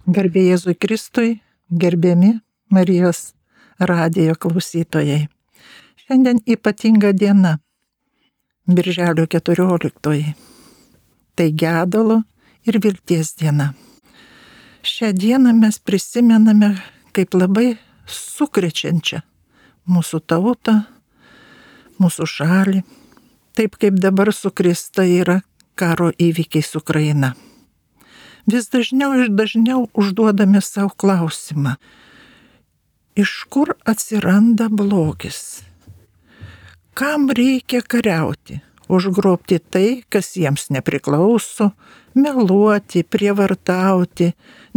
Garbė Jėzui Kristui, gerbiami Marijos radijo klausytojai. Šiandien ypatinga diena, Birželio 14. Tai gedulo ir vilties diena. Šią dieną mes prisimename kaip labai sukrečiančią mūsų tautą, mūsų šalį, taip kaip dabar sukrėsta yra karo įvykiais Ukraina. Vis dažniau ir dažniau užduodame savo klausimą, iš kur atsiranda blogis? Kam reikia kariauti? Užgrobti tai, kas jiems nepriklauso, meluoti, prievartauti,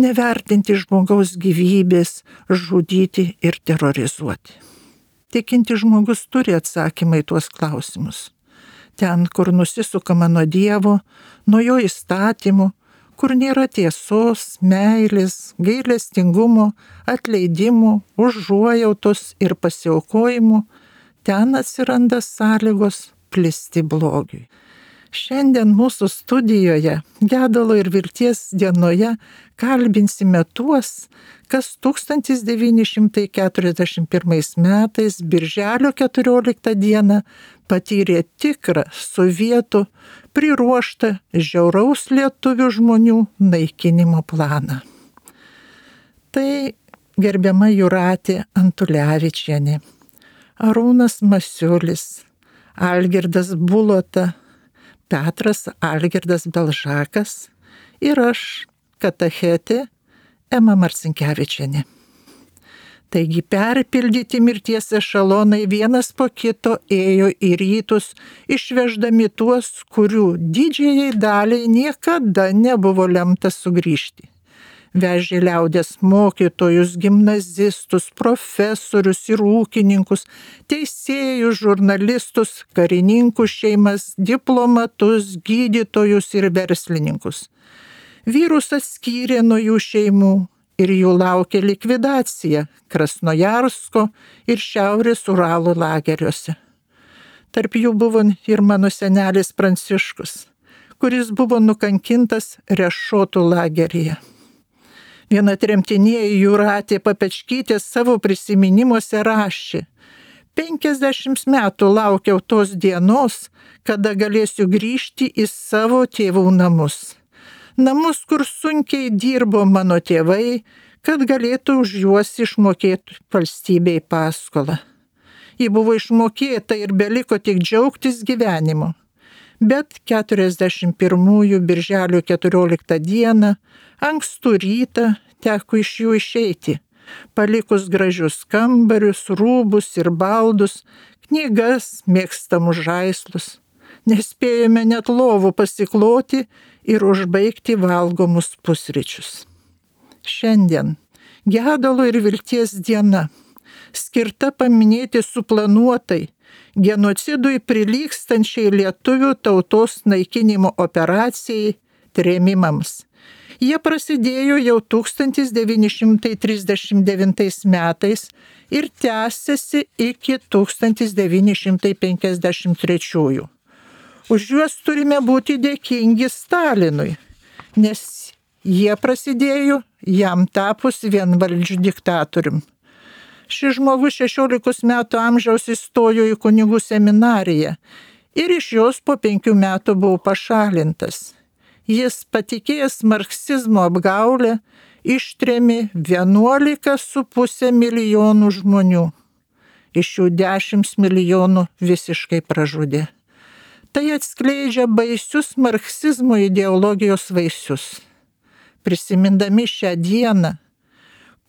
nevertinti žmogaus gyvybės, žudyti ir terrorizuoti. Tikinti žmogus turi atsakymą į tuos klausimus. Ten, kur nusisukama nuo Dievo, nuo jo įstatymų, kur nėra tiesos, meilės, gailestingumo, atleidimų, užuojautos ir pasiaukojimų, ten atsiranda sąlygos plisti blogiui. Šiandien mūsų studijoje, gedulo ir vilties dienoje, kalbinsime tuos, kas 1941 metais, Birželio 14 dieną, patyrė tikrą sovietų priruoštą žiauraus lietuvių žmonių naikinimo planą. Tai gerbiama Jūratė Antulevičienė, Arūnas Masiulis, Algirdas Bulota, Petras Algirdas Belžakas ir aš, katechetė Ema Marcinkevičienė. Taigi perpildyti mirties ešelonai vienas po kito ėjo į rytus, išveždami tuos, kurių didžiajai daliai niekada nebuvo lemta sugrįžti. Vežė liaudės mokytojus, gimnazistus, profesorius ir ūkininkus, teisėjus, žurnalistus, karininkų šeimas, diplomatus, gydytojus ir verslininkus. Vyrus atskyrė nuo jų šeimų ir jų laukė likvidacija Krasnojarsko ir Šiaurės Uralo lageriuose. Tarp jų buvo ir mano senelis Pranciškus, kuris buvo nukankintas Rešotų lageryje. Viena tremtinė Jūratė Papečkytė savo prisiminimuose rašė: 50 metų laukiau tos dienos, kada galėsiu grįžti į savo tėvų namus. Namus, kur sunkiai dirbo mano tėvai, kad galėtų už juos išmokėti valstybei paskolą. Ji buvo išmokėta ir beliko tik džiaugtis gyvenimu. Bet 41 Birželio 14 dieną, ankstų rytą, teko iš jų išeiti, palikus gražius kambarius, rūbus ir baldus, knygas, mėgstamus žaislus. Nespėjome net lovų pasikloti ir užbaigti valgomus pusryčius. Šiandien gedulo ir vilties diena, skirta paminėti suplanuotai, genocidui prilygstančiai lietuvių tautos naikinimo operacijai, trėmimams. Jie prasidėjo jau 1939 metais ir tęsiasi iki 1953. Už juos turime būti dėkingi Stalinui, nes jie prasidėjo jam tapus vienvaldžiu diktatorium. Šis žmogus 16 metų amžiaus įstojo į kunigų seminariją ir iš jos po 5 metų buvo pašalintas. Jis, patikėjęs marksizmo apgaulę, ištrėmė 11,5 milijonų žmonių. Iš jų 10 milijonų visiškai pražudė. Tai atskleidžia baisius marksizmo ideologijos vaisius. Prisimindami šią dieną,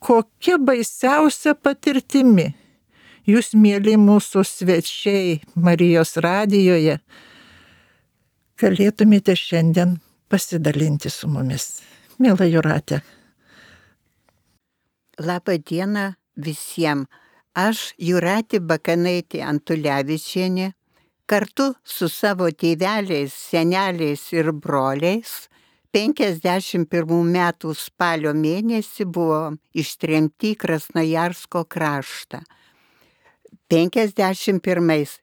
kokia baisiausia patirtimi jūs, mieli mūsų svečiai Marijos radijoje, galėtumėte šiandien pasidalinti su mumis. Miela Jūratė. Labą dieną visiems. Aš, Jūratė Bakanaitė Antulevičienė, kartu su savo tėveliais, seneliais ir broliais 51 metų spalio mėnesį buvo ištremti į Krasnojarsko kraštą. 51.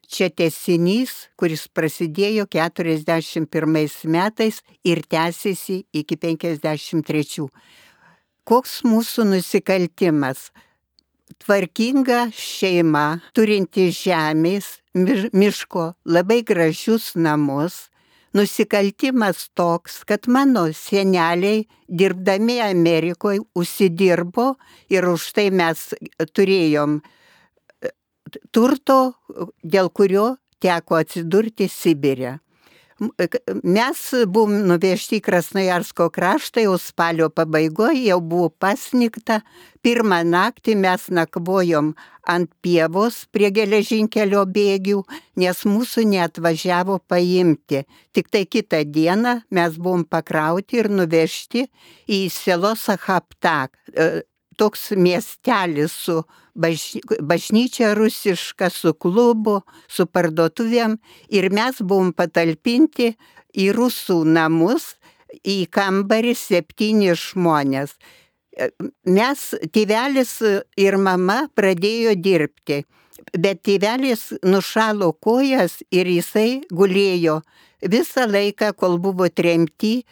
Čia tęsinys, kuris prasidėjo 41 metais ir tęsiasi iki 53. koks mūsų nusikaltimas? Tvarkinga šeima, turinti žemės, miško, labai gražius namus. Nusikaltimas toks, kad mano seneliai, dirbdami Amerikoje, užsidirbo ir už tai mes turėjom turto, dėl kurio teko atsidurti Sibire. Mes buvom nuvežti į Krasnojarsko kraštą, jau spalio pabaigoje jau buvo pasnigta. Pirmą naktį mes nakvojom ant pievos prie geležinkelio bėgių, nes mūsų neatvažiavo paimti. Tik tai kitą dieną mes buvom pakrauti ir nuvežti į selo Sachaptak. Toks miestelis su bažnyčia rusiška, su klubu, su parduotuvėm ir mes buvom patalpinti į rusų namus, į kambarį 7 žmonės. Mes, tėvelis ir mama pradėjo dirbti, bet tėvelis nušalo kojas ir jisai gulėjo visą laiką, kol buvo tremti,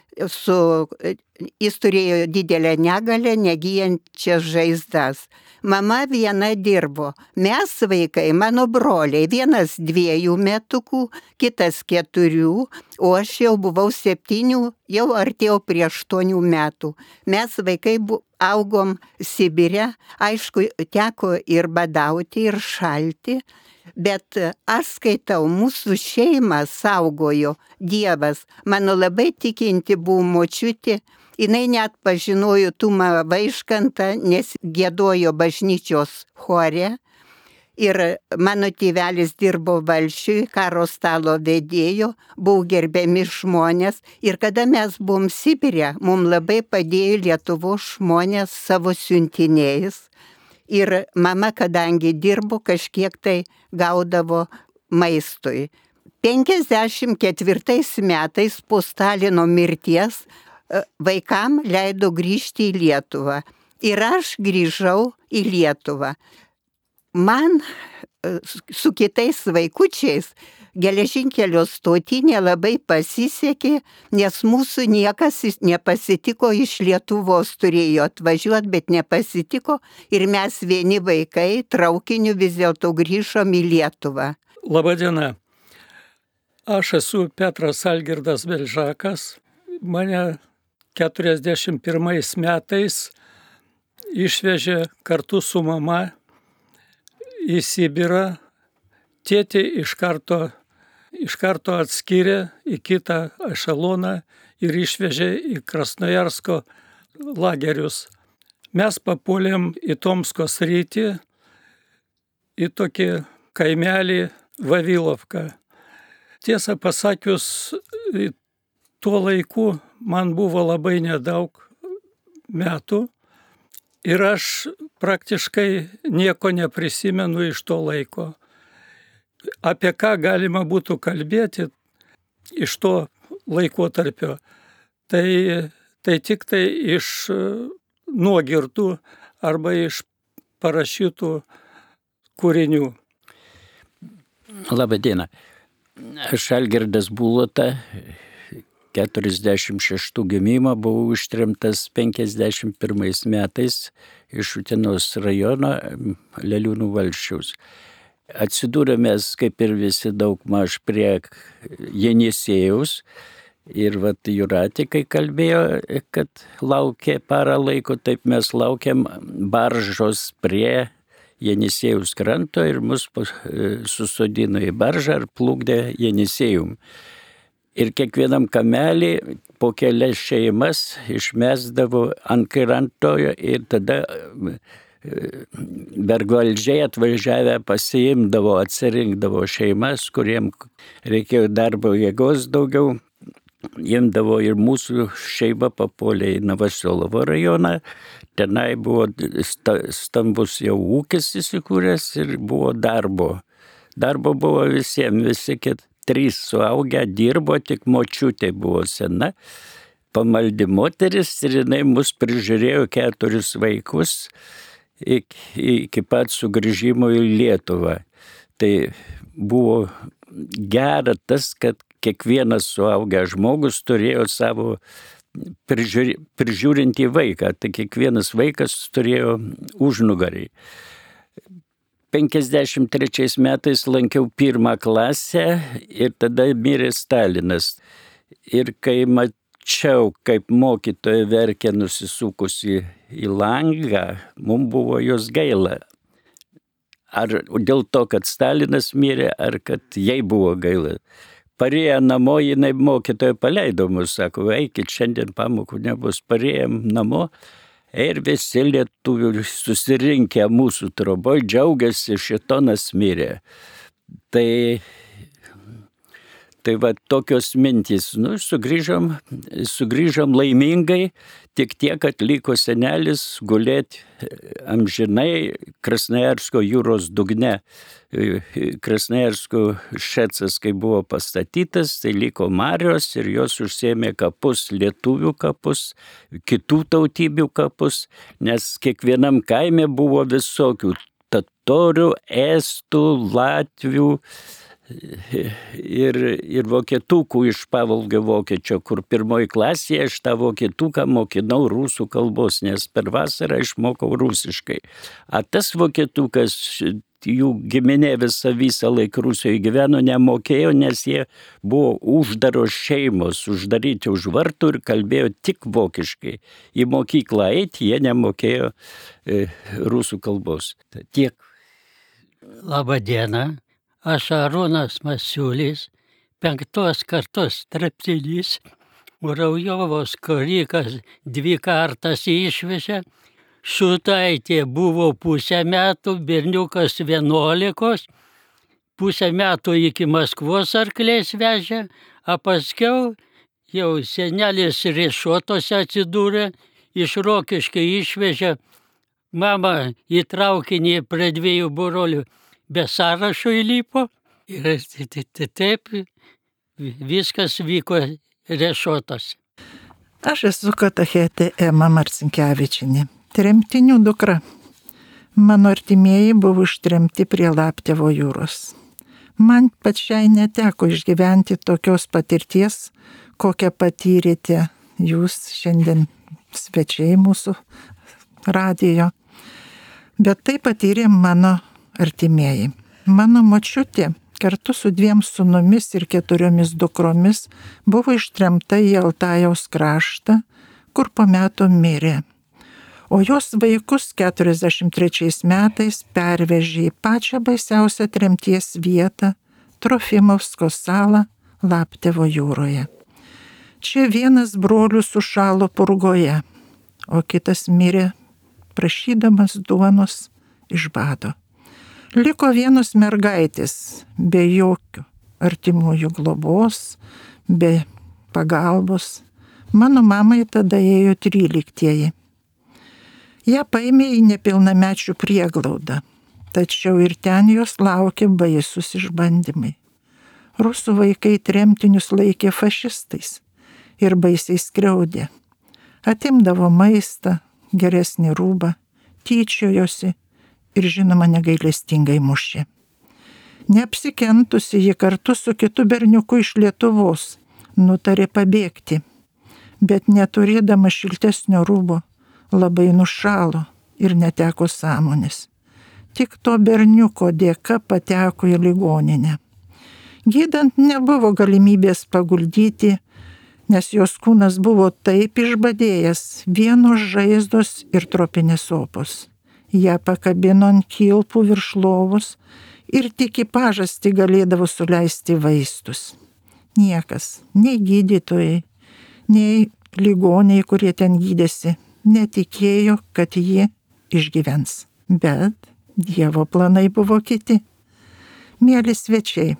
jis turėjo didelę negalę, negyjančias žaizdas. Mama viena dirbo. Mes vaikai, mano broliai, vienas 2 metukų, kitas 4, o aš jau buvau 7, jau artėjau prie 8 metų. Mes vaikai augom Sibire, aišku, teko ir badauti, ir šalti. Bet aš skaitau, mūsų šeimą saugojo Dievas. Mano labai tikinti buvo močiutė, jinai net pažinojo Tumą Vaiškantą, nes giedojo bažnyčios chore. Ir mano tėvelis dirbo valsčiui, karo stalo vedėjo, buvo gerbiami žmonės. Ir kada mes buvom Sibire, mums labai padėjo Lietuvos žmonės savo siuntiniais. Ir mama, kadangi dirbo, kažkiek tai gaudavo maistui. 54 metais po Stalino mirties vaikam leido grįžti į Lietuvą. Ir aš grįžau į Lietuvą. Man su kitais vaikučiais geležinkelio stotinė labai pasisekė, nes mūsų niekas nepasitiko iš Lietuvos, turėjo atvažiuoti, bet nepasitiko ir mes vieni vaikai traukiniu vis dėlto grįžom į Lietuvą. Labadiena. Aš esu Petras Algirdas Belžakas. Mane 41 metais išvežė kartu su mama į Sibirą. Tėtį iš karto atskyrė į kitą ešeloną ir išvežė į Krasnojarsko lagerius. Mes papuolėm į Tomsko sritį, į tokį kaimelį Vavilovką. Tiesą pasakius, tuo laiku man buvo labai nedaug metų ir aš praktiškai nieko neprisimenu iš to laiko. Apie ką galima būtų kalbėti iš to laikotarpio, tai tik tai iš nuogirdų arba iš parašytų kūrinių. Labadiena. Aš Algirdas Bulota, 46 gimimo, buvau ištremtas 51 metais iš Utenos rajono Leliūnų valsčiaus. Atsidūrėmės, kaip ir visi, daugmaž prie Jenisiejaus. Ir vat Jūratė, kai kalbėjo, kad laukė parą laiko, taip mes laukiam baržos prie Jenisiejaus kranto ir mus susodino į baržą ir plukdė Jenisėjum. Ir kiekvienam kamelį po kelias šeimas išmesdavo ant kranto ir tada vergvaldžiai atvažiavę pasiimdavo, atsirinkdavo šeimas, kuriem reikėjo darbo jėgos daugiau. Imdavo ir mūsų šeima papuolė į Novosolovo rajoną. Tenai buvo stambus jau ūkis įsikūręs ir buvo darbo. Darbo buvo visiems, visi 3 suaugę dirbo, tik močiutė buvo sena. Pamaldi moteris ir jinai mus prižiūrėjo 4 vaikus iki pat sugrįžimo į Lietuvą. Tai buvo gera tas, kad kiekvienas suaugęs žmogus turėjo savo prižiūrintį vaiką, tai kiekvienas vaikas turėjo užnugarį. 53 metais lankiau 1 klasę ir tada mirė Stalinas. Ir kai mačiau, kaip mokytoja verkia nusisukusi į langą, mums buvo jos gaila. Ar dėl to, kad Stalinas mirė, ar kad jai buvo gaila. Parėję namo, jinai mokytoja paleido mus, sako, eikit, šiandien pamokų nebus. Parėjom namo ir visi lietuvių susirinkę mūsų troboj džiaugiasi, šėtonas mirė. Tai va tokios mintys. Sugrįžom laimingai, tik tiek, kad liko senelis gulėti amžinai Krasnojarsko jūros dugne. Krasnojarsko šecas, kai buvo pastatytas, tai liko marios ir jos užsėmė kapus, lietuvių kapus, kitų tautybių kapus, nes kiekvienam kaime buvo visokių totorių, estų, latvių, ir vokietukų iš Pavolgio vokiečio, kur 1 klasėje aš tą vokietuką mokinau rusų kalbos, nes per vasarą išmokau rusiškai. A tas vokietukas, jų giminė visą laiką Rusijoje gyveno, nemokėjo, nes jie buvo uždaros šeimos, uždaryti už vartų ir kalbėjo tik vokiškai. Į mokyklą eiti jie nemokėjo rusų kalbos. Tiek. Labą dieną. Aš Arūnas Masiulis, 5 kartos treptinys, Raujovos korikas 2 kartas išvežė, Šutaitė buvo pusę metų, berniukas 11, pusę metų iki Maskvos arkliais vežė, o paskiau jau senelis Riešuotose atsidūrė, iš Rokiškio išvežė, mama į traukinį prie 2 brolių be sąrašo įlipo ir taip viskas vyko Riešuotose. Aš esu katechetė Ema Marcinkevičienė, tremtinių dukra. Mano artimieji buvo ištremti prie Laptevo jūros. Man pačiai neteko išgyventi tokios patirties, kokią patyrėte jūs šiandien svečiai mūsų radijo. Bet tai patyrė mano artimieji. Mano močiutė kartu su 2 sūnumis ir 4 dukromis buvo ištremta į Altajaus kraštą, kur po metų mirė. O jos vaikus 43 metais pervežė į pačią baisiausią tremties vietą Trofimovsko salą Laptevo jūroje. Čia vienas brolių sušalo purgoje, o kitas mirė prašydamas duonos iš bado. Liko 1 mergaitės, be jokių artimųjų globos, be pagalbos. Mano mamai tada ėjo 13. Ja paėmė į nepilnamečių prieglaudą, tačiau ir ten jos laukė baisus išbandymai. Rusų vaikai tremtinius laikė fašistais ir baisiai skriaudė. Atimdavo maistą, geresnį rūbą, tyčiojosi ir žinoma negailestingai mušė. Neapsikentusi, ji kartu su kitu berniuku iš Lietuvos nutarė pabėgti, bet neturėdama šiltesnio rūbo labai nušalo ir neteko sąmonės. Tik to berniuko dėka pateko į ligoninę. Gydant nebuvo galimybės paguldyti, nes jos kūnas buvo taip išbadėjęs, vienos žaizdos ir tropinės opos. Ją pakabino ant kilpų virš lovos ir tik į pažastį galėdavo suleisti vaistus. Niekas, nei gydytojai, nei ligoniai, kurie ten gydėsi, netikėjo, kad ji išgyvens. Bet Dievo planai buvo kiti. Mieli svečiai,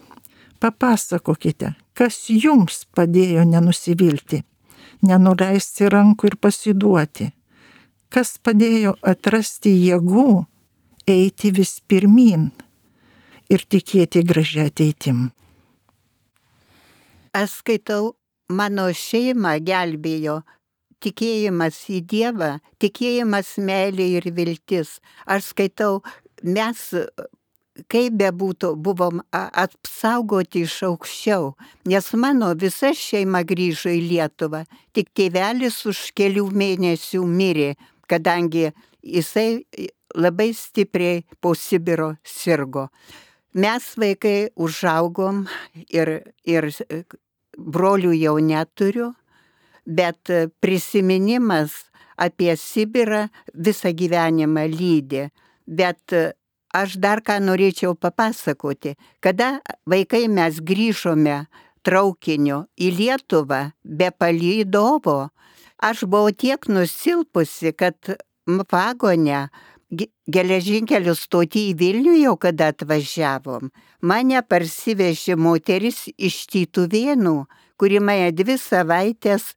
papasakokite, kas jums padėjo nenusivilti, nenuleisti rankų ir pasiduoti. Kas padėjo atrasti jėgų, eiti vis pirmyn ir tikėti gražią ateitim. Aš skaitau, mano šeimą gelbėjo tikėjimas į Dievą, tikėjimas meilė ir viltis. Aš skaitau, mes kaip bebūtų, buvom apsaugoti iš aukščiau, nes mano visa šeima grįžo į Lietuvą, tik tėvelis už kelių mėnesių mirė, kadangi jisai labai stipriai po Sibiro sirgo. Mes vaikai užaugom ir brolių jau neturiu, bet prisiminimas apie Sibirą visą gyvenimą lydi. Bet aš dar ką norėčiau papasakoti. Kada vaikai mes grįžome traukiniu į Lietuvą be palydovo, aš buvau tiek nusilpusi, kad vagone geležinkelio stotį į Vilnių jau kada atvažiavom, mane parsivežė moteris iš Tytuvėnų, kuri mane 2 savaitės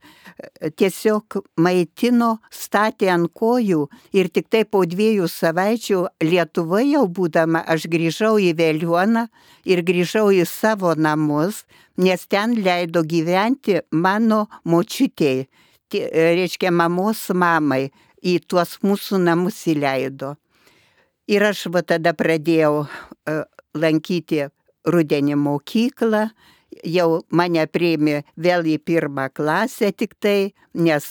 tiesiog maitino, statė ant kojų ir tik tai po 2 savaičių Lietuvoje jau būdama aš grįžau į Veliuoną ir grįžau į savo namus, nes ten leido gyventi mano močiutei, reiškia mamos mamai, į tuos mūsų namus įleido. Ir aš tada pradėjau lankyti rudenį mokyklą, jau mane priėmė vėl į 1 klasę tik tai, nes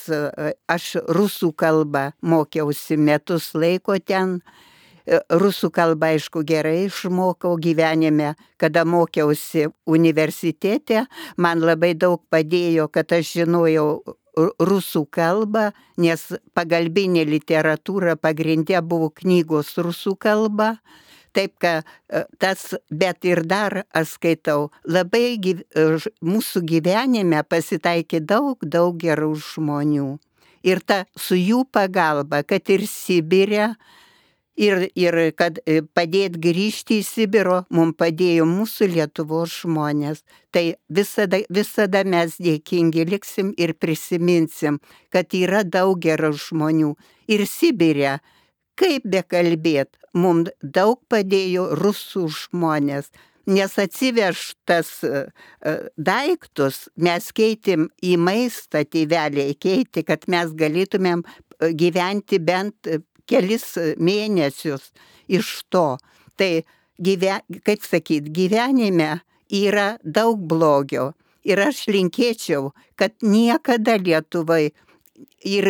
aš rusų kalbą mokiausi metus laiko ten. Rusų kalbą, aišku, gerai išmokau gyvenime, kada mokiausi universitete, man labai daug padėjo, kad aš žinojau rusų kalbą, nes pagalbinė literatūra pagrindė buvo knygos rusų kalba. Taip, kad tas, bet ir dar aš skaitau, labai mūsų gyvenime pasitaikė daug gerų žmonių. Ir su jų pagalba, kad ir Sibire, ir kad padėt grįžti į Sibiro, mums padėjo mūsų Lietuvos žmonės. Tai visada mes dėkingi liksim ir prisiminsim, kad yra daug gerų žmonių. Ir Sibire, kaip bekalbėt, mums daug padėjo rusų žmonės, nes atsivežtas daiktus mes keitėm į maistą, tėveliai keitė, kad mes galėtumėm gyventi bent kelis mėnesius iš to. Tai, kaip sakyt, gyvenime yra daug blogio. Ir aš linkėčiau, kad niekada Lietuvai ir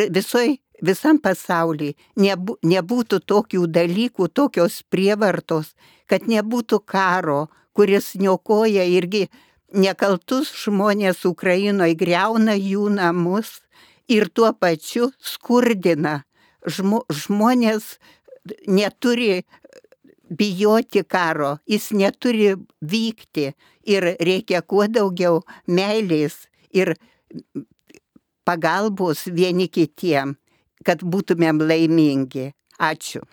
visam pasaulyje nebūtų tokių dalykų, tokios prievartos, kad nebūtų karo, kuris niokoja irgi nekaltus žmonės Ukrainoje, griauna jų namus ir tuo pačiu skurdina. Žmonės neturi bijoti karo, jis neturi vykti ir reikia kuo daugiau meilės ir pagalbos vieni kitiem, kad būtumėm laimingi. Ačiū.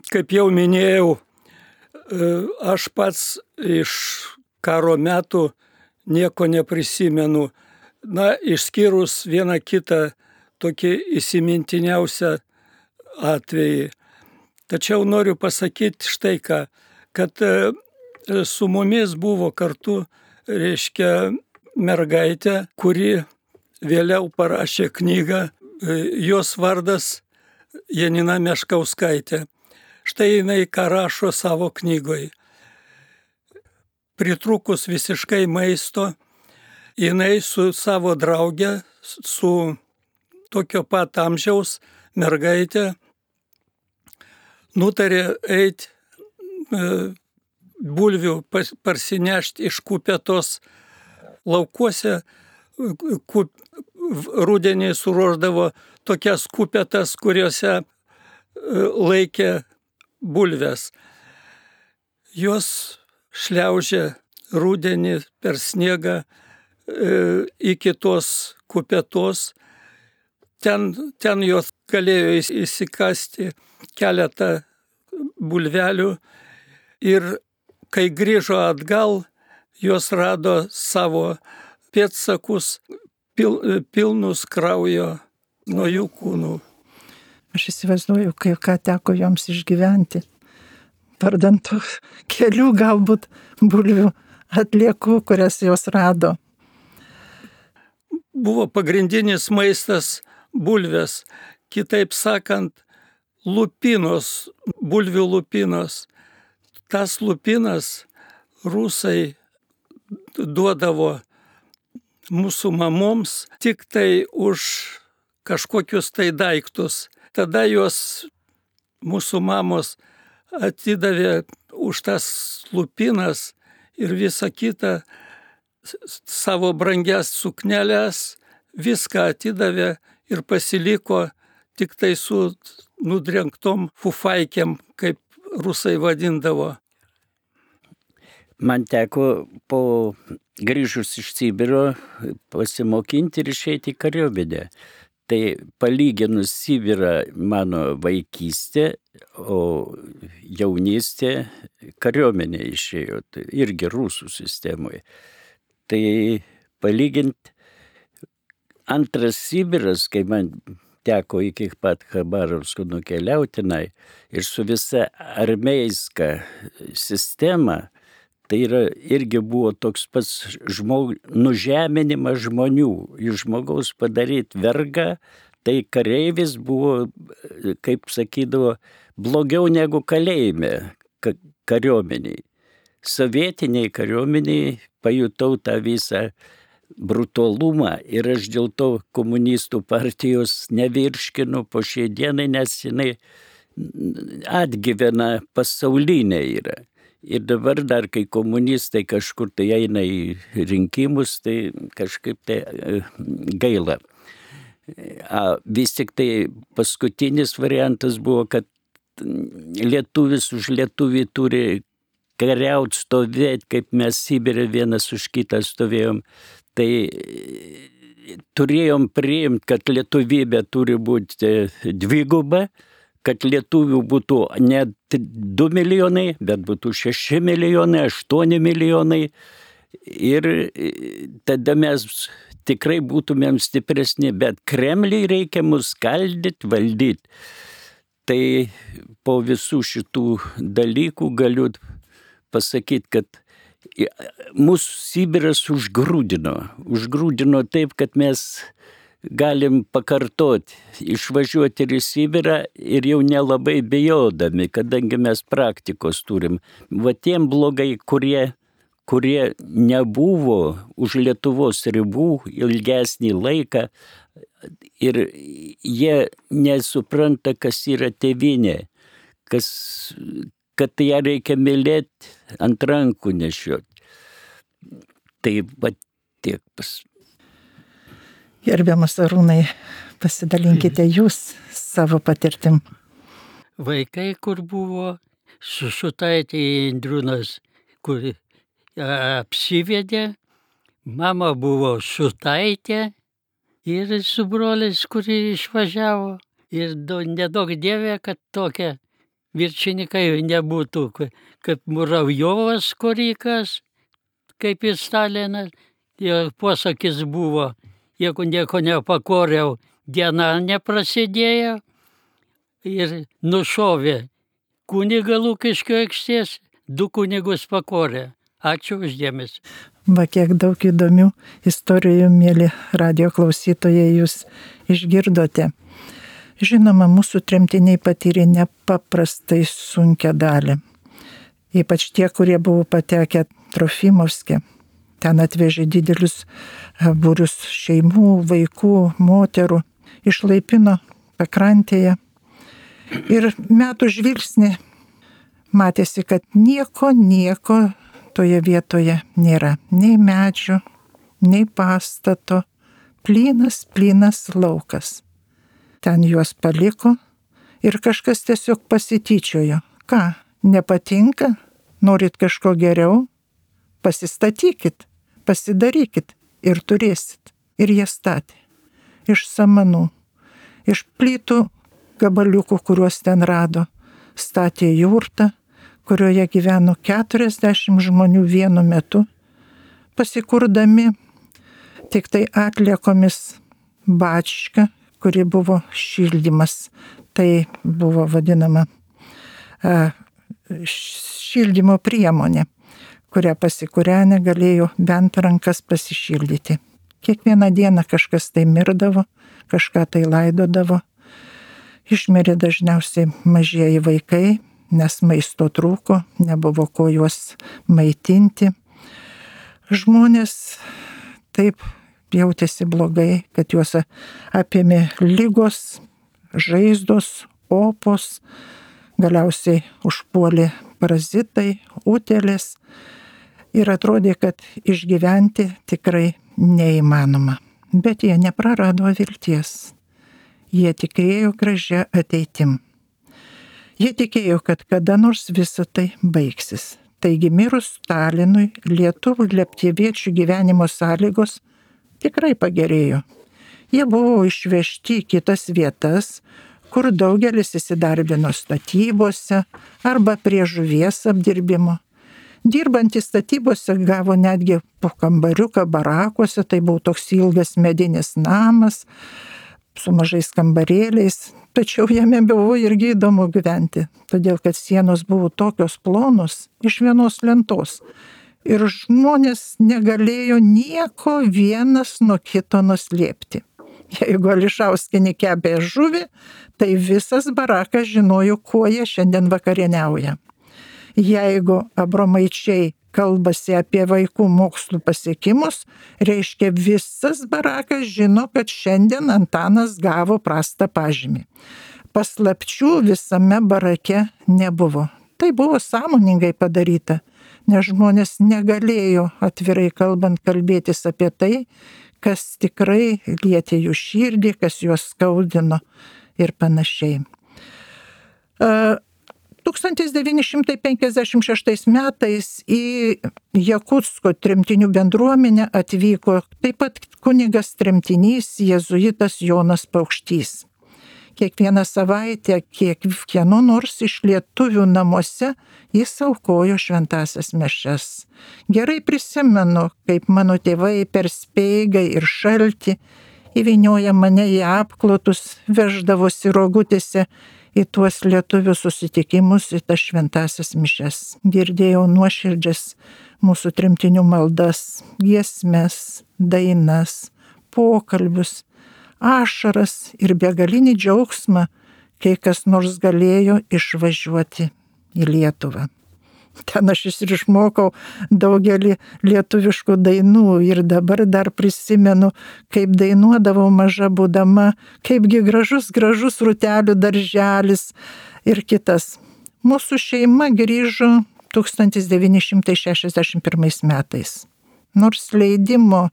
Kaip jau minėjau, aš pats iš karo metų nieko neprisimenu. Na, išskyrus vieną kitą tokį įsimintiniausią atvejį. Tačiau noriu pasakyti štai ką, kad su mumis buvo kartu, reiškia, mergaitė, kuri vėliau parašė knygą, jos vardas Janina Meškauskaitė. Štai jinai ką rašo savo knygoje. Pritrukus visiškai maisto, jinai su savo drauge, su tokio pat amžiaus mergaitė, nutarė eiti bulvių parsinešti iš kupetos. Laukuose rudenį suruošdavo tokias kupetas, kuriuose laikė bulves. Jos šliaužė rudenį per sniegą iki tos kupetos. Ten jos galėjo įsikasti keletą bulvelių ir kai grįžo atgal, jos rado savo pėdsakus pilnus kraujo nuo jų kūnų. Aš įsivaizduoju, ką teko joms išgyventi. Vardant kelių galbūt bulvių atliekų, kurias jos rado. Buvo pagrindinis maistas bulvės, kitaip sakant, lupinos, bulvių lupinos. tas lupinas rusai duodavo mūsų mamoms tik tai už kažkokius tai daiktus. Tada jos mūsų mamos atidavė už tas lupinas ir visą kitą savo brangias sukneles, viską atidavė ir pasiliko tik tai su nudrengtom fufaikėm, kaip rusai vadindavo. Man teko po grįžus iš Sibiro pasimokinti ir išeiti į kariuomenę. Tai palyginus Sibirą mano vaikystė, o jaunystė kariuomenė išėjo, tai irgi rusų sistemoje. Tai palyginti antras Sibiras, kai man teko iki pat Chabarovsko nukeliauti tenai ir su visa armeiska sistema, tai irgi buvo toks pats nužeminimas žmonių. Iš žmogaus padaryti vergą, tai kareivis buvo, kaip sakydavo, blogiau negu kalėjime kariuomeniai. Sovietiniai kariuomeniai pajutau tą visą brutalumą ir aš dėl to komunistų partijos nevirškinu po šiai dienai, nes jinai atgyvena pasaulinė yra. Ir dabar dar, kai komunistai kažkur tai eina į rinkimus, tai kažkaip tai gaila. Vis tik tai paskutinis variantas buvo, kad lietuvis už lietuvį turi kariauti, stovėti, kaip mes Sibire vienas už kitą stovėjom. Tai turėjom priimti, kad lietuvybė turi būti dviguba, kad lietuvių būtų ne 2 milijonai, bet būtų 6 milijonai, 8 milijonai. Ir tada mes tikrai būtumėm stipresni, bet Kremliui reikia mus skaldyti, valdyti. Tai po visų šitų dalykų galiu pasakyti, kad mūsų Sibiras užgrūdino taip, kad mes galim pakartoti, išvažiuoti ir į Sibirą ir jau nelabai bijodami, kadangi mes praktikos turim. Va tiem blogai, kurie nebuvo už Lietuvos ribų ilgesnį laiką ir jie nesupranta, kas yra tėvynė, kad ją reikia mylėti, ant rankų nešioti. Tai va tiek Gerbiamas Arūnai, pasidalinkite jūs savo patirtim. Vaikai, kur buvo, su Šutaitė Indriūnas, kur apsivedė, mama buvo Šutaitė ir su broliais, kuri išvažiavo. Ir nedaug dievė, kad tokia viršininkai nebūtų, kaip Muravjovas Korikas, kaip ir Stalinas. Jo posakis buvo, jeigu nieko nepakoriau, diena neprasidėjo ir nušovė kunigą Lukiškių aikštės, 2 kunigus pakorė. Ačiū už dėmesį. Va kiek daug įdomių istorijų, mėly radijo klausytojai, jūs išgirdote. Žinoma, mūsų tremtiniai patyrė nepaprastai sunkią dalį. Ypač tie, kurie buvo patekę Trofimovske. Ten atvežė didelius būrius šeimų, vaikų, moterų, išlaipino pakrantėje. Ir metų žvilgsnį matėsi, kad nieko toje vietoje nėra. Nei medžių, nei pastato, plynas laukas. Ten juos paliko ir kažkas tiesiog pasityčiojo. Ką, nepatinka? Norit kažko geriau? Pasistatykit, pasidarykit ir turėsit. Ir jie statė. Iš samanų, iš plytų gabaliukų, kuriuos ten rado, statė jurtą, kurioje gyveno 40 žmonių vienu metu, pasikurdami tik tai atliekomis bačką, kuri buvo šildymas. Tai buvo vadinama šildymo priemonė, kurią pasikūrenę galėjo bent rankas pasišildyti. Kiekvieną dieną kažkas tai mirdavo, kažką tai laidodavo. Išmirė dažniausiai mažieji vaikai, nes maisto trūko, nebuvo ko juos maitinti. Žmonės taip jautėsi blogai, kad juos apėmė lygos, žaizdos, opos, galiausiai užpuolė parazitai, utėlės ir atrodė, kad išgyventi tikrai neįmanoma. Bet jie neprarado vilties. Jie tikėjo gražia ateitim. Jie tikėjo, kad kada nors visa tai baigsis. Taigi mirus Stalinui lietuvių leptėviečių gyvenimo sąlygos tikrai pagerėjo. Jie buvo išvežti į kitas vietas, kur daugelis įsidarbino statybose arba prie žuvies apdirbimo. Dirbantys statybose gavo netgi po kambariuką barakuose, tai buvo toks ilgas medinis namas su mažais kambarėliais, tačiau jame buvo irgi įdomu gyventi, todėl kad sienos buvo tokios plonos iš vienos lentos ir žmonės negalėjo nieko vienas nuo kito nuslėpti. Jeigu Ališauskienė kepė žuvį, tai visas barakas žinojo, kuo jie šiandien vakarieniauja. Jeigu Abromaičiai kalbasi apie vaikų mokslų pasiekimus, reiškia visas barakas žino, kad šiandien Antanas gavo prastą pažymį. Paslapčių visame barake nebuvo. Tai buvo sąmoningai padaryta, nes žmonės negalėjo atvirai kalbant kalbėtis apie tai, kas tikrai lietė jų širdį, kas juos skaudino ir panašiai. 1956 metais į Jakutsko tremtinių bendruomenę atvyko taip pat kunigas tremtinys jėzuitas Jonas Paukštys. Kiekvieną savaitę kiekvieno nors iš lietuvių namuose jis aukojo šventąsias mišias. Gerai prisimenu, kaip mano tėvai per speigą ir šaltį įvynioja mane į apklotus, veždavosi rogutėse į tuos lietuvių susitikimus, į tas šventąsias mišias. Girdėjau nuoširdžias mūsų tremtinių maldas, giesmes, dainas, pokalbius, ašaras ir begalinį džiaugsmą, kai kas nors galėjo išvažiuoti į Lietuvą. Ten aš ir išmokau daugelį lietuviškų dainų ir dabar dar prisimenu, kaip dainuodavau maža būdama, kaipgi gražus rūtelių darželis ir kitas. Mūsų šeima grįžo 1961 metais. Nors leidimo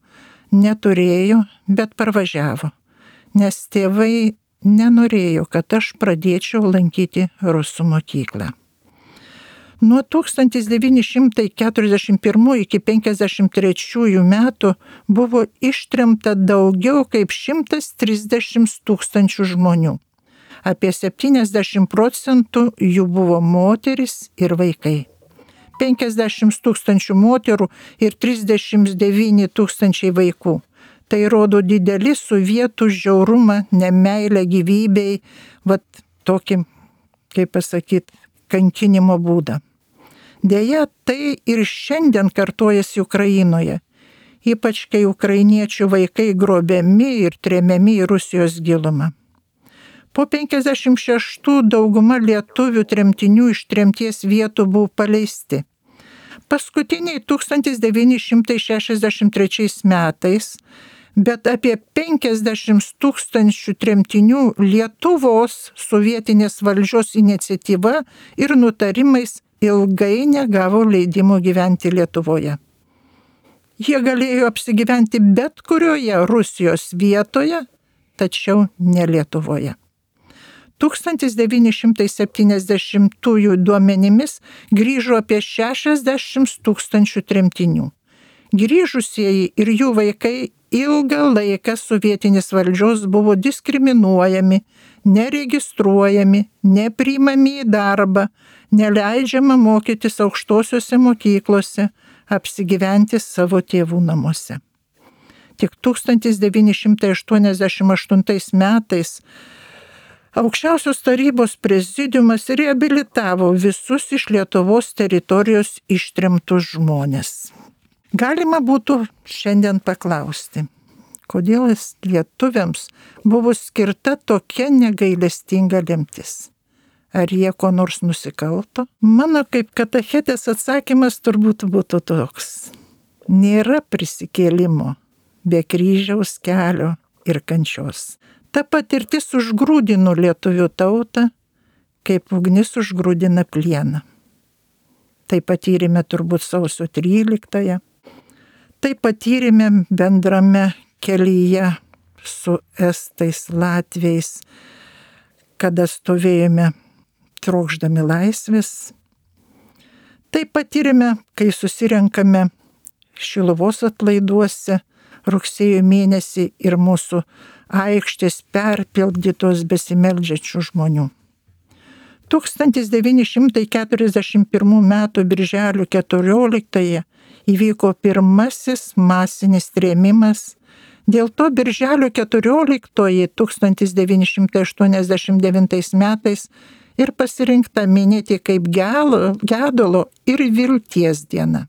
neturėjo, bet parvažiavo, nes tėvai nenorėjo, kad aš pradėčiau lankyti rusų mokyklą. Nuo 1941 iki 1953 metų buvo ištremta daugiau kaip 130 tūkstančių žmonių. Apie 70% jų buvo moterys ir vaikai. 50 tūkstančių moterų ir 39 tūkstančiai vaikų. Tai rodo didelį sovietų žiaurumą, nemeilę gyvybei, tokį, kaip pasakyti, kankinimo būdą. Deja, tai ir šiandien kartojasi Ukrainoje, ypač kai ukrainiečių vaikai grobiami ir tremiami į Rusijos gilumą. Po 56 dauguma lietuvių tremtinių iš tremties vietų buvo paleisti. Paskutiniai 1963 metais, bet apie 50 tūkstančių tremtinių Lietuvos sovietinės valdžios iniciatyva ir nutarimais ilgai negavo leidimo gyventi Lietuvoje. Jie galėjo apsigyventi bet kurioje Rusijos vietoje, tačiau ne Lietuvoje. 1970 duomenimis grįžo apie 60 tūkstančių tremtinių. Grįžusieji ir jų vaikai ilgą laiką sovietinės valdžios buvo diskriminuojami, neregistruojami, nepriimami į darbą, neleidžiama mokytis aukštosiuose mokyklose, apsigyventi savo tėvų namuose. Tik 1988 metais Aukščiausios tarybos prezidiumas reabilitavo visus iš Lietuvos teritorijos ištremtus žmones. Galima būtų šiandien paklausti, kodėl lietuviams buvo skirta tokia negailestinga lemtis. Ar jie ko nors nusikalto? Mano kaip katechetės atsakymas turbūt būtų toks. Nėra prisikėlimo be kryžiaus kelio ir kančios. Ta patirtis užgrūdino lietuvių tautą, kaip ugnis užgrūdina plieną. Tai patyrėme turbūt sausio 13-ąją. Tai patyrėme bendrame kelyje su estais, latviais, kada stovėjome trokšdami laisvės. Tai patyrėme, kai susirenkame Šiluvos atlaiduose rugsėjo mėnesį ir mūsų aikštės perpildytos besimeldžiančių žmonių. 1941 m. birželio 14 įvyko pirmasis masinis trėmimas. Dėl to birželio 14 1989 metais ir pasirinkta minėti kaip gedulo ir vilties diena.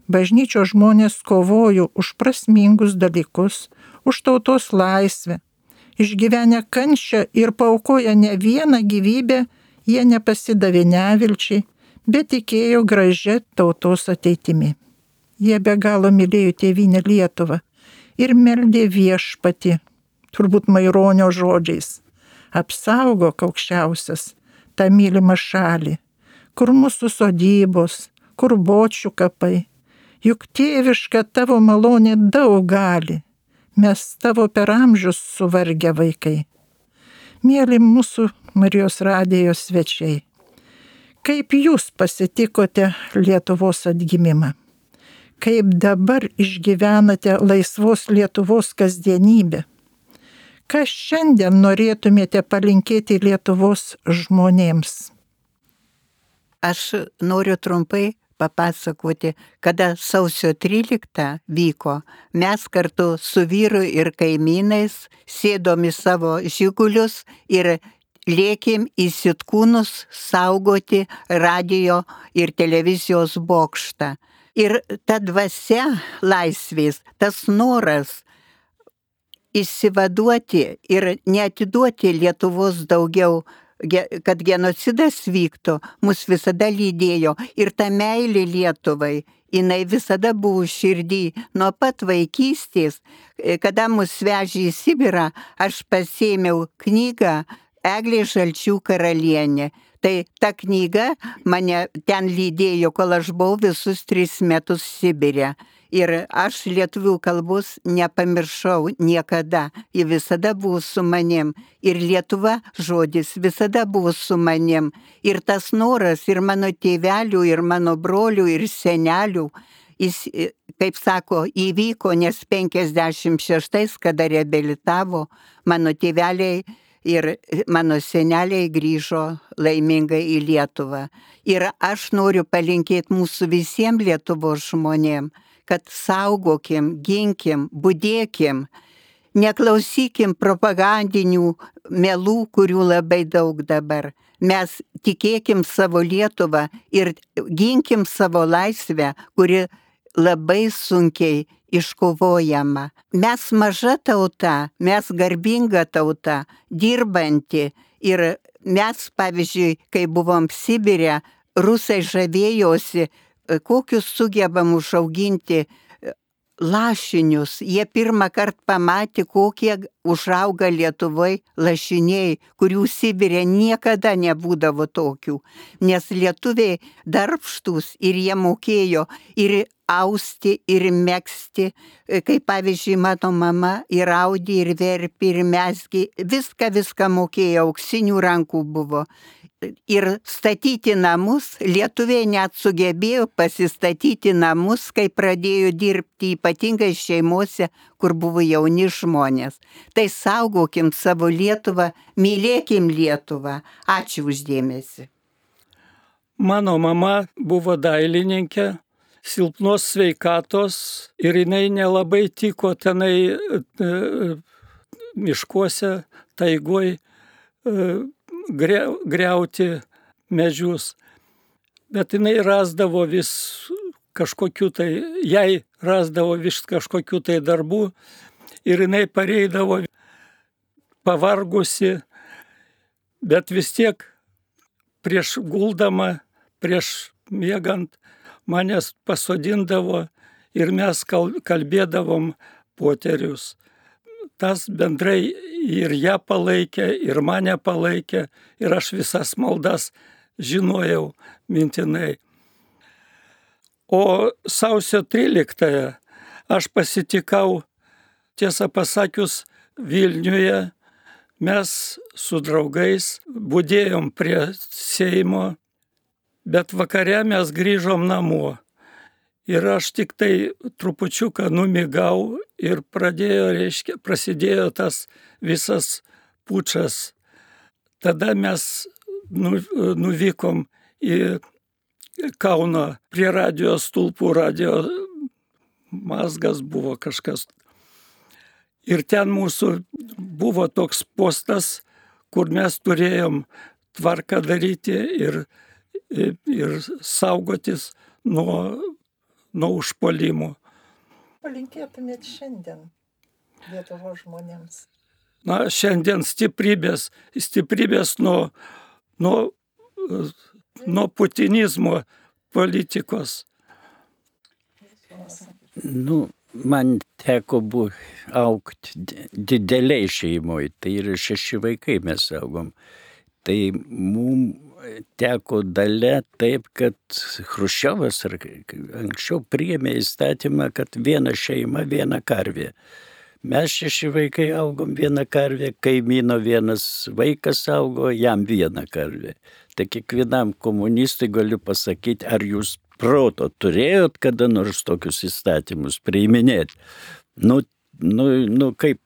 Bažnyčios žmonės kovojo už prasmingus dalykus, už tautos laisvę. Išgyvenę kančią ir paaukoję ne vieną gyvybę, jie nepasidavė nevilčiai, bet tikėjo gražia tautos ateitimi. Jie be galo mylėjo tėvynę Lietuvą ir meldė Viešpatį, turbūt Maironio žodžiais: apsaugok aukščiausias tą mylimą šalį, kur mūsų sodybos, kur bočių kapai, juk tėviška tavo malonė daug gali, mes tavo per amžius suvargę vaikai. Mėly mūsų Marijos radijo svečiai, kaip jūs pasitikote Lietuvos atgimimą? Kaip dabar išgyvenate laisvos Lietuvos kasdienybę? Ką šiandien norėtumėte palinkėti Lietuvos žmonėms? Aš noriu trumpai papasakoti, kada sausio 13 vyko. Mes kartu su vyru ir kaimynais sėdom į savo žigulius ir lėkėm į Sitkūnus saugoti radijo ir televizijos bokštą. Ir ta dvasia laisvės, tas noras išsivaduoti ir neatiduoti Lietuvos daugiau, kad genocidas vyktų, mus visada lydėjo. Ir ta meilė Lietuvai, jinai visada buvo širdį. Nuo pat vaikystės, kada mus vežė į Sibirą, aš pasėmiau knygą Eglė Žalčių karalienė. Tai ta knyga mane ten lydėjo, kol aš buvau visus 3 metus Sibire. Ir aš lietuvių kalbos nepamiršau niekada. Ji visada buvo su manim. Ir Lietuva žodis visada buvo su manim. Ir tas noras ir mano tėvelių, ir mano brolių, ir senelių, jis, kaip sako, įvyko, nes 56, kada reabilitavo, mano tėveliai ir mano seneliai grįžo laimingai į Lietuvą. Ir aš noriu palinkėti mūsų visiems Lietuvos žmonėm, kad saugokim, ginkim, budėkim, neklausykim propagandinių melų, kurių labai daug dabar. Mes tikėkim savo Lietuvą ir ginkim savo laisvę, kuri labai sunkiai iškovojama. Mes maža tauta, mes garbinga tauta, dirbanti. Ir mes, pavyzdžiui, kai buvom Sibire, rusai žavėjosi, kokius sugebam užauginti lašinius. Jie pirmą kartą pamatė, kokie užauga Lietuvoje lašiniai, kurių Sibire niekada nebūdavo tokių. Nes lietuviai darbštūs ir jie mokėjo ir austi, ir megzti. Kaip pavyzdžiui, mano mama ir audė, ir verpė, ir mezgė. Viską mokėjo, auksinių rankų buvo. Ir statyti namus, lietuviai net sugebėjo pasistatyti namus, kai pradėjo dirbti, ypatingai šeimose, kur buvo jauni žmonės. Tai saugokim savo Lietuvą, mylėkim Lietuvą. Ačiū uždėmesi. Mano mama buvo dailininkė, silpnos sveikatos ir jinai nelabai tiko tenai miškuose, taigoj, griauti medžius. Bet jinai rasdavo vis kažkokių tai, jai rasdavo vis kažkokių tai darbų ir jinai pareidavo pavargusi, bet vis tiek prieš guldama, prieš miegant manęs pasodindavo ir mes kalbėdavom poterius. Tas bendrai ir ją palaikė, ir mane palaikė, ir aš visas maldas žinojau mintinai. O sausio 13 aš pasitikau, tiesą pasakius, Vilniuje. Mes su draugais budėjom prie Seimo, bet vakare mes grįžom namo. Ir aš tik tai trupučiuką numigau ir prasidėjo tas visas pučas. Tada mes nuvykom į Kauną prie radio stulpų, radio mazgas buvo kažkas. Ir ten mūsų buvo toks postas, kur mes turėjom tvarką daryti ir saugotis nuo užpuolimų. Palinkėtumėt šiandien Lietuvos žmonėms? Na, šiandien stiprybės nuo putinizmo politikos. Man teko augti dideliai šeimoje, tai yra 6 vaikai mes augom. Tai mums teko dalia taip, kad Chruščiovas anksčiau priėmė įstatymą, kad viena šeima, viena karvė. Mes 6 vaikai augom, viena karvė, kaimyno vienas vaikas augo, jam viena karvė. Tai kiekvienam komunistui galiu pasakyti, ar jūs proto turėjot kada nors tokius įstatymus priiminėti. Kaip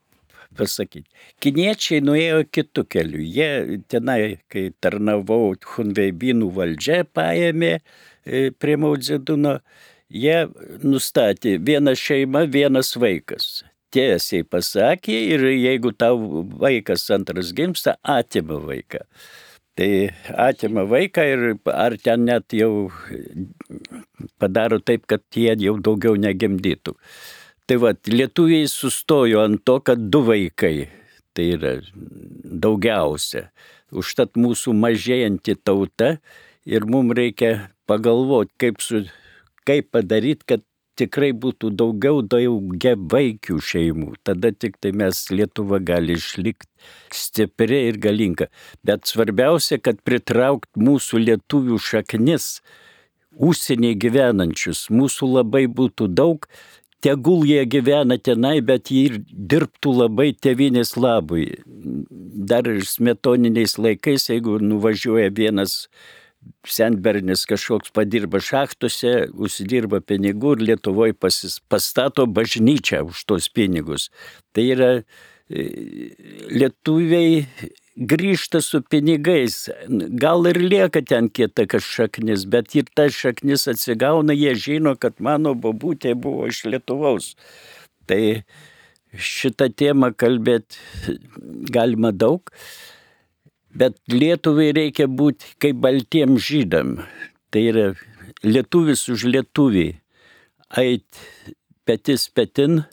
pasakyti. Kiniečiai nuėjo kitų kelių. Jie tenai, kai tarnavau Chunveibinų valdžia, paėmė prie Mao Dzeduno, jie nustatė viena šeima, vienas vaikas. Tiesiai pasakė ir jeigu tau vaikas antras gimsta, atima vaiką. Tai atima vaiką ir ar ten net jau padaro taip, kad jie jau daugiau negimdytų. Tai lietuviai sustojo ant to, kad 2 vaikai, tai yra daugiausia. Užtat mūsų mažėjanti tauta ir mums reikia pagalvoti, kaip padaryti, kad tikrai būtų daugiavaikių šeimų. Tada tik tai Lietuva gali išlikti stipri ir galinga. Bet svarbiausia, kad pritraukt mūsų lietuvių šaknis, užsienyje gyvenančius, mūsų labai būtų daug, tegul jie gyvena tenai, bet jie ir dirbtų labai tėvynės labui. Dar ir smetoniniais laikais, jeigu nuvažiuoja vienas senbernis kažkoks padirba šachtose, užsidirba pinigų ir Lietuvoje pastato bažnyčią už tos pinigus. Tai yra lietuviai grįžta su pinigais. Gal ir lieka ten kieta šaknis, bet ir ta šaknis atsigauna, jie žino, kad mano bobutė buvo iš Lietuvos. Tai šitą temą kalbėti galima daug. Bet Lietuvai reikia būti kaip baltiem žydam. Tai yra lietuvis už lietuvį. Ait petis petin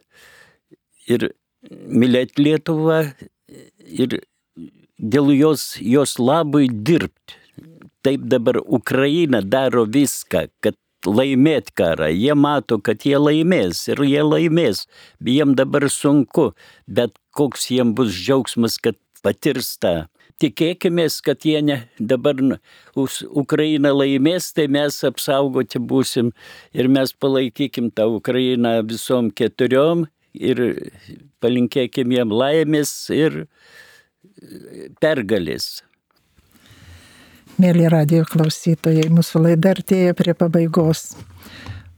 ir mylėti Lietuvą ir dėl jos labui dirbti. Taip dabar Ukraina daro viską, kad laimėt karą. Jie mato, kad jie laimės ir jie laimės. Jiem dabar sunku, bet koks jiem bus džiaugsmas, kad patirs tą. Tikėkimės, kad jie dabar Ukraina laimės, tai mes apsaugoti būsim ir mes palaikykim tą Ukrainą visom 4 ir palinkėkim jiem laimės ir pergalės. Mėly radijo klausytojai, mūsų laida artėja prie pabaigos.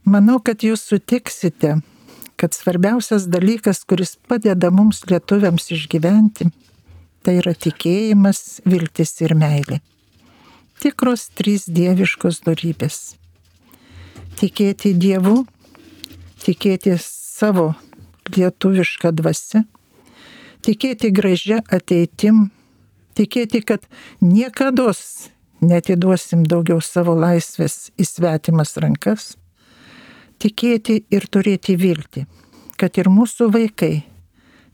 Manau, kad jūs sutiksite, kad svarbiausias dalykas, kuris padeda mums lietuviams išgyventi, tai yra tikėjimas, viltis ir meilė. Tikros 3 dieviškos dorybės. Tikėti Dievu, tikėti savo lietuvišką dvasią, tikėti gražia ateitim, tikėti, kad niekados neatiduosim daugiau savo laisvės į svetimas rankas, tikėti ir turėti viltį, kad ir mūsų vaikai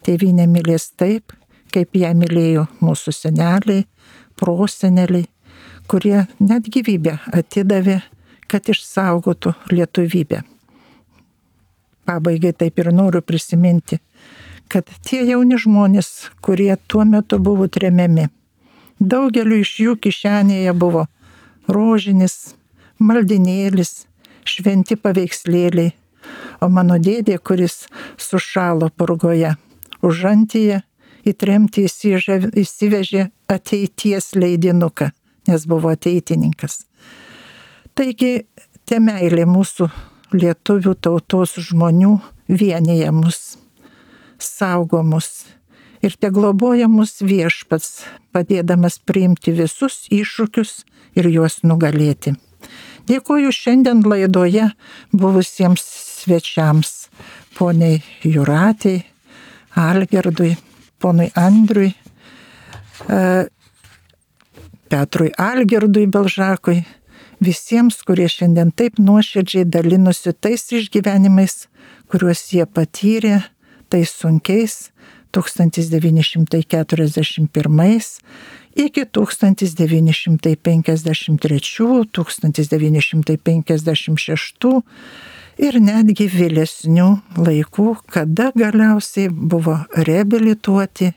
tėvynę mylės taip, kaip ją mylėjo mūsų seneliai, proseneliai, kurie net gyvybę atidavė, kad išsaugotų lietuvybę. Pabaigai taip ir noriu prisiminti, kad tie jauni žmonės, kurie tuo metu buvo tremiami, daugeliu iš jų kišenėje buvo rožinis, maldinėlis, šventi paveikslėliai, o mano dėdė, kuris sušalo Purgoje, užantyje į tremtį įsivežė ateities leidinuką, nes buvo ateitininkas. Taigi, te meilė mūsų lietuvių tautos žmonių vienyje mus, saugo mus ir te globoja mus Viešpats, padėdamas priimti visus iššūkius ir juos nugalėti. Dėkoju šiandien laidoje buvusiems svečiams, poniai Jūratei, Algirdui, ponui Andriui, Petrui Algirdui Belžakui, visiems, kurie šiandien taip nuoširdžiai dalinosi tais išgyvenimais, kuriuos jie patyrė, tais sunkiais 1941 iki 1953-1956 ir netgi vėlesnių laikų, kada galiausiai buvo reabilituoti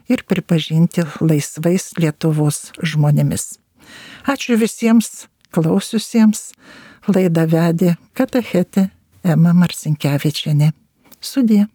ir pripažinti laisvais Lietuvos žmonėmis. Ačiū visiems klausiusiems. Laidą vedė katechetė Ema Marcinkevičienė. Sudie.